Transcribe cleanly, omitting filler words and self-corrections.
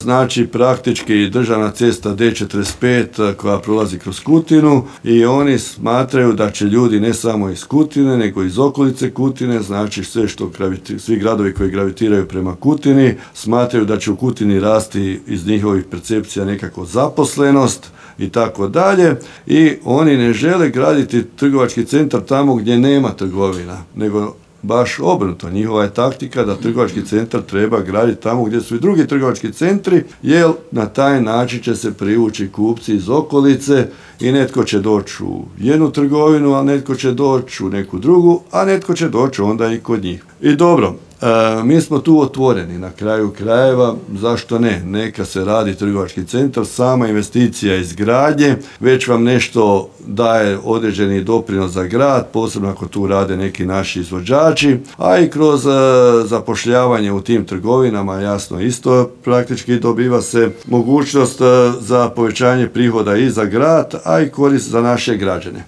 Znači praktički državna cesta D45 koja prolazi kroz Kutinu i oni smatraju da će ljudi ne samo iz Kutine nego iz okolice Kutine, znači svi gradovi koji gravitiraju prema Kutini smatraju da će u Kutini rasti iz njihovih percepcija nekako zaposlenost i tako dalje i oni ne žele graditi trgovački centar tamo gdje nema trgovina, nego baš obrnuto. Njihova je taktika da trgovački centar treba graditi tamo gdje su i drugi trgovački centri, jer na taj način će se privući kupci iz okolice i netko će doći u jednu trgovinu, a netko će doći u neku drugu, a netko će doći onda i kod njih. I dobro, mi smo tu otvoreni na kraju krajeva, zašto ne? Neka se radi trgovački centar, sama investicija izgradnje, već vam nešto daje određeni doprinos za grad, posebno ako tu rade neki naši izvođači, a i kroz zapošljavanje u tim trgovinama, jasno isto praktički dobiva se mogućnost za povećanje prihoda i za grad, a i korist za naše građane.